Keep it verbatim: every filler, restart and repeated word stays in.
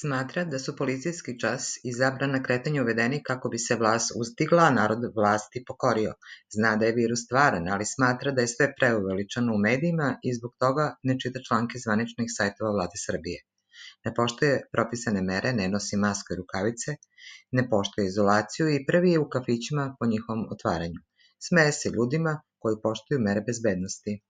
Smatra da su policijski čas i zabrana kretanja uvedeni kako bi se vlast uzdigla, a narod vlasti pokorio. Zna da je virus stvaran, ali smatra da je sve preuveličano u medijima i zbog toga ne čita članke zvaničnih sajtova Vlade Srbije. Ne poštuje propisane mere, ne nosi masku i rukavice, ne poštuje izolaciju i prvi je u kafićima po njihovom otvaranju. Smeje se ljudima koji poštuju mere bezbednosti.